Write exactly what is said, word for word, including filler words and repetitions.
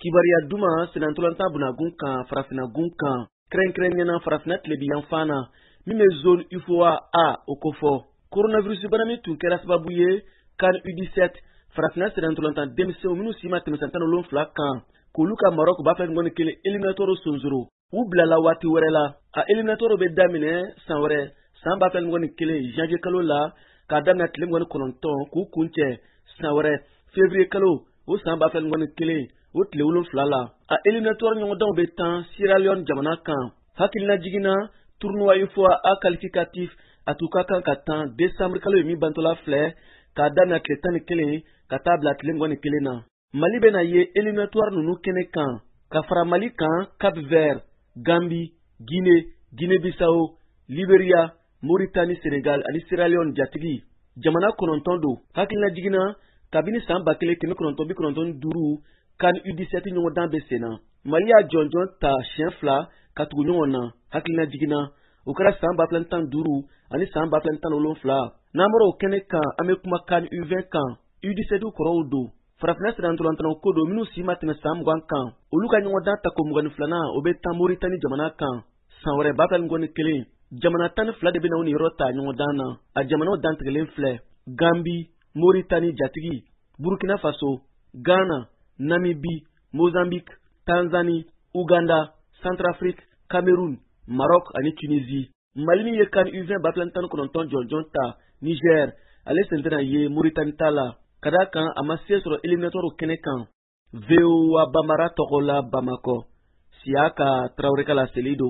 Kibaruya duman senantolantan bunagun kan, farafinagun kan, kɛrɛnkɛrɛnnenya farafina tilebiyanfan na, min bɛ zone UFOA A o kofɔ. Coronavirus bana min tun kɛra sababu ye CAN U dix-sept farafina senantolantan denmisɛnw minnu si ma tɛmɛ san tan ni wolonwula kan, k'olu ka Maroc b'a fɛ ŋɔni kelen éliminatoire sonsoro, u bilala waati wɛrɛ la. A éliminatoire bɛ daminɛ san wɛrɛ san ba fila ni mugan ni kelen janvier kalo la, k'a daminɛ tile mugan ni kɔnɔntɔn k'u kuncɛ san wɛrɛ février kalo o san ba fila ni mugan ni kelen o tile wolonfila la. A éliminatoire ɲɔgɔndanw bɛ tan Sierra Leone jamana kan. Hakilina jiginna, tournoi UFOA A qualificatif a tun ka kan ka tan décembre kalo ye min bantɔla filɛ, k'a daminɛ tile tan ni kelen ka taa bila tile mugan ni kelen na. Mali bɛna ye éliminatoire ninnu kɛnɛ kan. Ka fara Mali kan, Cap Vert, Gambie, Guinée, Guinée-Bissau, Libéria, Mauritanie, Sénégal ani Sierra Leone jatigi. Jamana kɔnɔntɔn don. Hakilina jiginna, kabini san ba kelen kɛmɛ kɔnɔntɔn bi kɔnɔntɔn ni duuru CAN U dix-sept ɲɔgɔndan bɛ sen na, Mali y'a jɔnjɔn ta siɲɛ fila ka tugu ɲɔgɔn na. Hakilina jiginna, o kɛra san ba fila ni tan ni duuru ani san ba fila ni tan ni wolonfila. N'an bɔra o kɛnɛ kan, an bɛ kuma CAN U vingt kan. U dix-sept kɔrɔw don, farafinna sirantolantanaw ko don minnu si ma tɛmɛ san mugan kan. Olu ka ɲɔgɔndan tako mugan ni filanan o bɛ tan Moritani jamana kan san wɛrɛ ba fila ni mugan ni kelen. Jamana tan ni fila de bɛna u niyɔrɔ ta ɲɔgɔndan na. A jamanaw dantigɛlen filɛ: Gambi, Moritani jatigi, Burkina Faso, Ghana, Namibie, Mozambique, Tanzanie, Uganda, Centrafrique, Cameroun, Maroc ani Tunisie. Mali min ye CAN U vingt ba fila ni tan ni kɔnɔntɔn jɔnjɔn ta Niger, ale sen tɛna ye Moritani ta la, ka d'a kan a ma se sɔrɔ éliminatoire kɛnɛ kan. V O A Bambara tɔgɔ la Bamakɔ, Siyaka Tarawele ka laseli don.